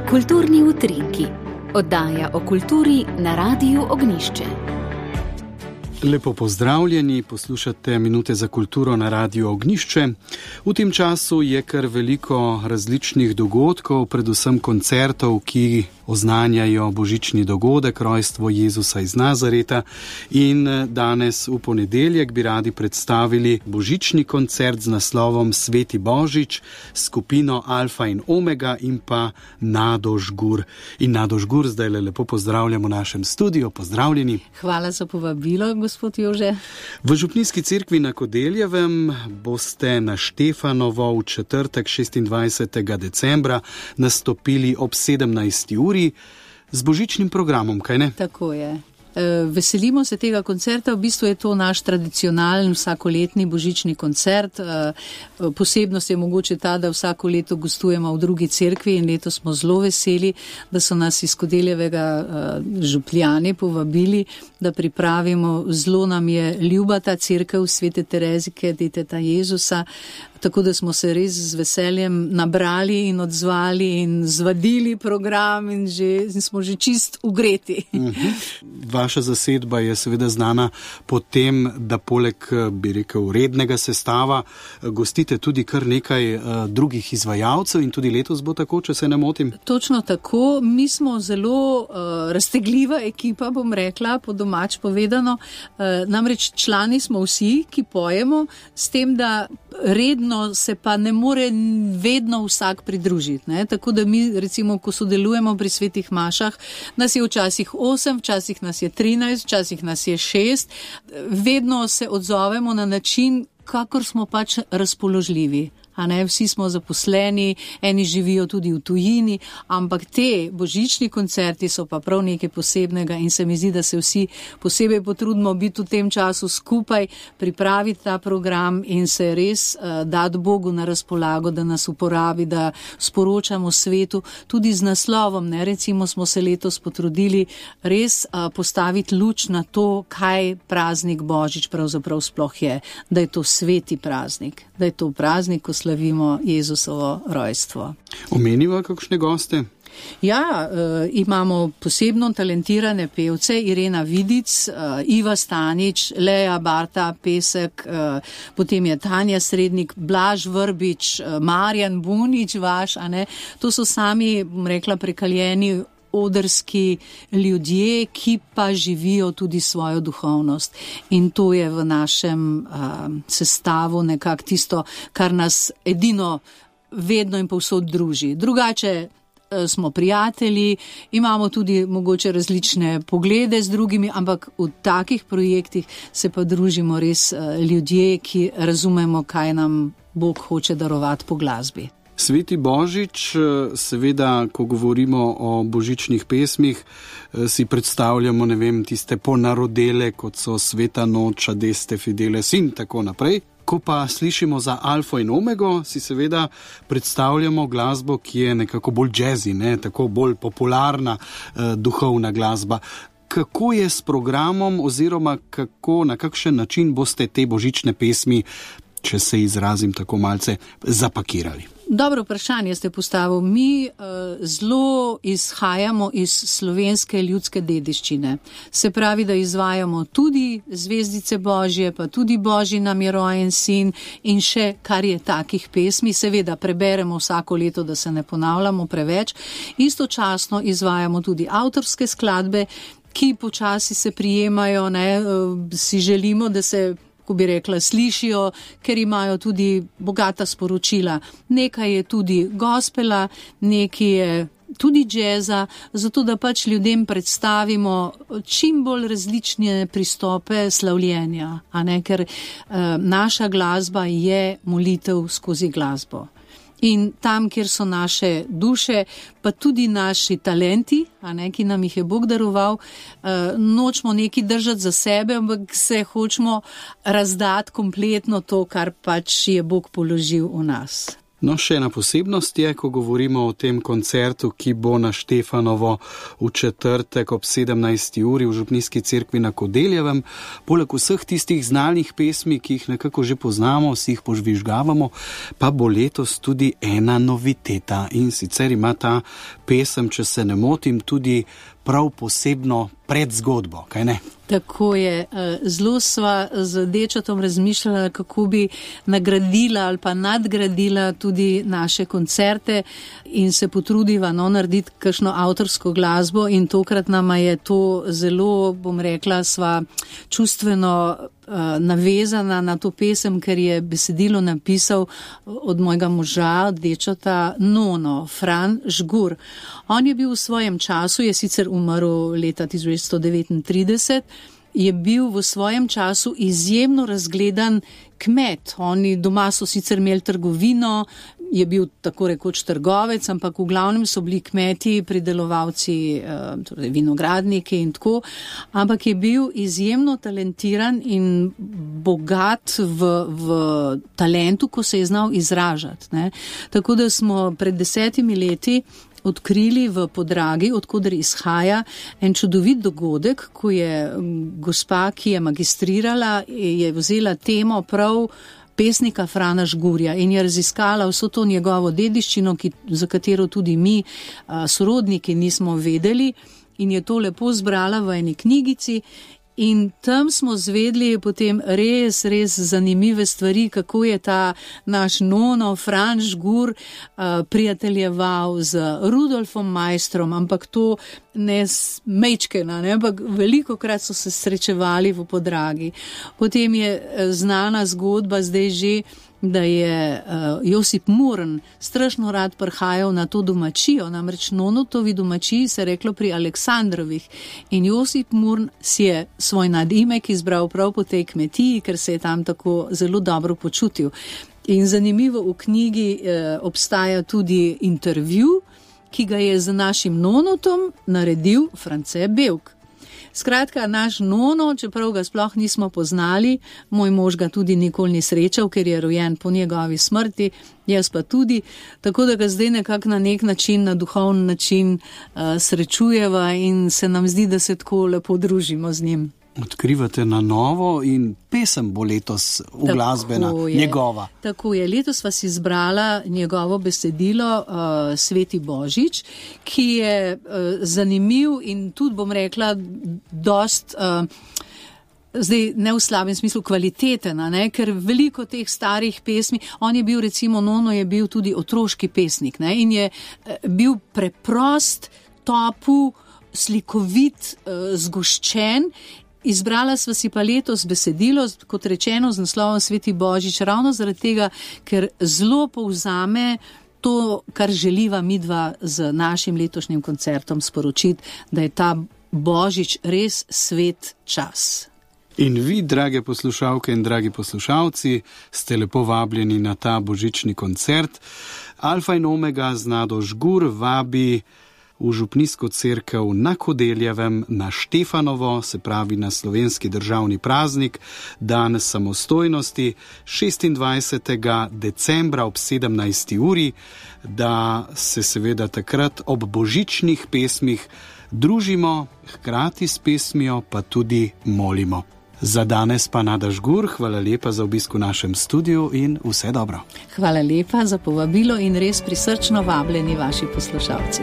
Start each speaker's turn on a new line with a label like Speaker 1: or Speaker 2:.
Speaker 1: Kulturni utrinki. Oddaja o kulturi na Radiu Ognjišče.
Speaker 2: Lepo pozdravljeni, poslušate Minute za kulturo na Radiu Ognjišče. V tem času je kar veliko različnih dogodkov, predvsem koncertov, ki oznanjajo božični dogodek, rojstvo Jezusa iz Nazareta. In danes v ponedeljek bi radi predstavili božični koncert z naslovom Sveti Božič, skupino Alfa in Omega in pa Nado Žgur. In Nado Žgur zdaj lepo pozdravljamo v našem studiu. Pozdravljeni.
Speaker 3: Hvala za povabilo, gospod Jože.
Speaker 2: V Župnijski cerkvi na Kodeljevem boste na Štefanovo v četrtek 26. decembra nastopili ob 17. uri z božičnim programom, kaj ne?
Speaker 3: Tako je. Veselimo se tega koncerta, v bistvu je to naš tradicionalen vsakoletni božični koncert. Posebnost je mogoče ta, da vsako leto gostujemo v drugi cerkvi in letos smo zelo veseli, da so nas iz Kodeljevega župljani povabili, da pripravimo. Zelo nam je ljuba ta cerkev Svete Terezike, deteta Jezusa, tako da smo se res z veseljem nabrali in odzvali in zvadili program in smo že čist ugreti.
Speaker 2: Vaša zasedba je seveda znana po tem, da poleg, bi rekel, rednega sestava gostite tudi kar nekaj drugih izvajalcev in tudi letos bo tako, če se ne motim.
Speaker 3: Točno tako. Mi smo zelo raztegljiva ekipa, bom rekla, po domač povedano. Namreč člani smo vsi, ki pojemo, s tem, da redno se pa ne more vedno vsak pridružiti. Ne? Tako da mi, recimo, ko sodelujemo pri svetih mašah, nas je včasih 8, včasih nas je 13, včasih nas je 6. Vedno se odzovemo na način, kakor smo pač razpoložljivi. A ne, vsi smo zaposleni, eni živijo tudi v tujini, ampak te božični koncerti so pa prav nekaj posebnega in se mi zdi, da se vsi posebej potrudimo biti v tem času skupaj, pripraviti ta program in se res dati Bogu na razpolago, da nas uporabi, da sporočamo svetu tudi z naslovom. Ne? Recimo smo se letos potrudili res postaviti luč na to, kaj praznik Božič pravzaprav sploh je, da je to sveti praznik, da je to praznik, ko slavimo Jezusovo rojstvo.
Speaker 2: Omeniva kakšne goste?
Speaker 3: Ja, imamo posebno talentirane pevce, Irena Vidic, Iva Stanič, Leja Barta Pesek, potem je Tanja Srednik, Blaž Vrbič, Marjan Bunič vaš, a ne? To so sami, bom rekla, prekaljeni odrski ljudje, ki pa živijo tudi svojo duhovnost. In to je v našem sestavu nekako tisto, kar nas edino vedno in povsod druži. Drugače smo prijatelji, imamo tudi mogoče različne poglede z drugimi, ampak v takih projektih se pa družimo res ljudje, ki razumemo, kaj nam Bog hoče darovati po glasbi.
Speaker 2: Sveti Božič, seveda, ko govorimo o božičnih pesmih, si predstavljamo, ne vem, tiste ponarodele, kot so Sveta noč, Adeste Fideles in tako naprej. Ko pa slišimo za Alfo in Omego, si seveda predstavljamo glasbo, ki je nekako bolj jazzy, ne? Tako bolj popularna duhovna glasba. Kako je s programom oziroma na kakšen način boste te božične pesmi, če se izrazim tako malce, zapakirali?
Speaker 3: Dobro vprašanje ste postavili. Mi zelo izhajamo iz slovenske ljudske dediščine. Se pravi, da izvajamo tudi Zvezdice Božje, pa tudi Božji nam je rojen sin in še kar je takih pesmi. Seveda preberemo vsako leto, da se ne ponavljamo preveč. Istočasno izvajamo tudi avtorske skladbe, ki počasi se prijemajo, ne, si želimo, da se, ko bi rekla, slišijo, ker imajo tudi bogata sporočila. Nekaj je tudi gospela, nekaj je tudi džeza, zato da pač ljudem predstavimo čim bolj različne pristope slavljenja, a ne, ker naša glasba je molitev skozi glasbo. In tam, kjer so naše duše, pa tudi naši talenti, a ne, ki nam jih je Bog daroval, nočemo nekaj držati za sebe, ampak se hočemo razdati kompletno to, kar pač je Bog položil v nas.
Speaker 2: No, še ena posebnost je, ko govorimo o tem koncertu, ki bo na Štefanovo v četrtek ob 17. uri v Župnijski cerkvi na Kodeljevem. Poleg vseh tistih znanih pesmi, ki jih nekako že poznamo, si jih požvižgavamo, pa bo letos tudi ena noviteta. In sicer ima ta pesem, če se ne motim, tudi prav posebno predzgodbo, kaj ne?
Speaker 3: Tako je. Zelo sva z dečatom razmišljala, kako bi nagradila ali pa nadgradila tudi naše koncerte in se potrudiva narediti kakšno avtorsko glasbo, in tokrat nama je to zelo, bom rekla, sva čustveno navezana na to pesem, ker je besedilo napisal od mojega moža, dečata Nono, Fran Žgur. On je bil v svojem času, je sicer umrl leta 1939, je bil v svojem času izjemno razgledan kmet. Oni doma so sicer imeli trgovino, je bil tako rekoč trgovec, ampak v glavnem so bili kmeti, pridelovalci, torej vinogradniki in tako, ampak je bil izjemno talentiran in bogat v talentu, ko se je znal izražati, ne. Tako da smo pred 10 leti odkrili v Podragi, odkoder izhaja, en čudovit dogodek, ko je gospa, ki je magistrirala, je vzela temo prav pesnika Frana Žgurja in je raziskala vso to njegovo dediščino, za katero tudi mi, sorodniki, nismo vedeli, in je to lepo zbrala v eni knjigici. In tam smo zvedli potem res zanimive stvari, kako je ta naš Nono, Fran Žgur, prijateljeval z Rudolfom Maistrom, ampak to ne mečkena, ne, ampak velikokrat so se srečevali v Podragi. Potem je znana zgodba zdaj že, da je Josip Murn strašno rad prihajal na to domačijo, namreč Nonotovi domačiji se reklo pri Aleksandrovih, in Josip Murn si je svoj nadimek izbral prav po tej kmetiji, ker se je tam tako zelo dobro počutil. In zanimivo, v knjigi obstaja tudi intervju, ki ga je z našim Nonotom naredil France Bevk. Skratka, naš Nono, čeprav ga sploh nismo poznali, moj mož ga tudi nikoli ni srečal, ker je rojen po njegovi smrti, jaz pa tudi, tako da ga zdaj nekako na nek način, na duhovni način srečujeva in se nam zdi, da se tako lepo družimo z njim.
Speaker 2: Odkrivate na novo in pesem bo letos uglasbena, njegova. Tako
Speaker 3: je, letos sva si izbrala njegovo besedilo Sveti Božič, ki je zanimiv in tudi, bom rekla, dost, zdaj ne v slabem smislu, kvaliteten, ne? Ker veliko teh starih pesmi, on je bil recimo, Nono je bil tudi otroški pesnik, ne? In je bil preprost, topel, slikovit, zgoščen. Izbrala sva si pa letos besedilo, kot rečeno, z naslovom Sveti Božič, ravno zaradi tega, ker zelo povzame to, kar želiva midva z našim letošnjim koncertom sporočiti, da je ta Božič res svet čas.
Speaker 2: In vi, drage poslušalke in dragi poslušalci, ste lepo vabljeni na ta božični koncert. Alfa in Omega z Nado Žgur vabi v Župnijsko cerkev na Kodeljevem, na Štefanovo, se pravi na slovenski državni praznik, dan samostojnosti, 26. decembra ob 17. uri, da se seveda takrat ob božičnih pesmih družimo, hkrati s pesmijo pa tudi molimo. Za danes pa Nada Žgur, hvala lepa za obisk v našem studiu in vse dobro.
Speaker 3: Hvala lepa za povabilo in res prisrčno vabljeni vaši poslušalci.